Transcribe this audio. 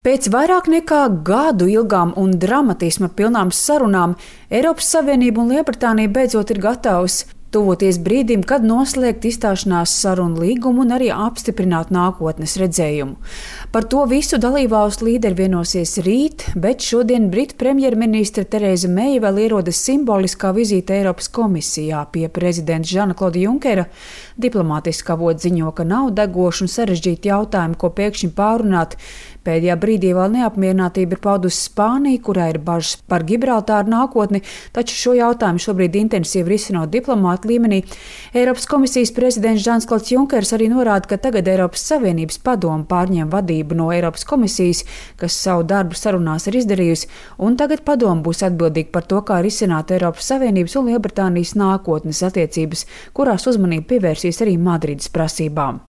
Pēc vairāk nekā gadu ilgām un dramatisma pilnām sarunām Eiropas Savienība un Lielbritānija beidzot ir gatavas tuvoties brīdim, kad noslēgt izstāšanās sarunu līgumu un arī apstiprināt nākotnes redzējumu. Par to visu dalībvalstu līderi vienosies rīt, bet šodien Britu premjerministre Tereza Meija vēl ierodas simboliskā vizīte Eiropas komisijā pie prezidenta Žana-Klauda Junkera. Diplomātiskā avoti ziņo, ka nav degoši un sarežģīti jautājumi, ko pēkšņi pārunāt. Pēdējā brīdī vēl neapmierinātība ir paudusi Spānija, kurā ir bažas par Gibraltāru nākotni, taču šo jautājumu šobrīd intensīvi risinot diplomātu līmenī. Eiropas komisijas prezidents Žans-Klauds Junkers arī norāda, ka tagad Eiropas Savienības padome pārņem vadību no Eiropas komisijas, kas savu darbu sarunās ir izdarījusi, un tagad padome būs atbildīga par to, kā risināt Eiropas Savienības un Lielbritānijas nākotnes attiecības, kurās uzmanību pievērsīs arī Madrides prasībām.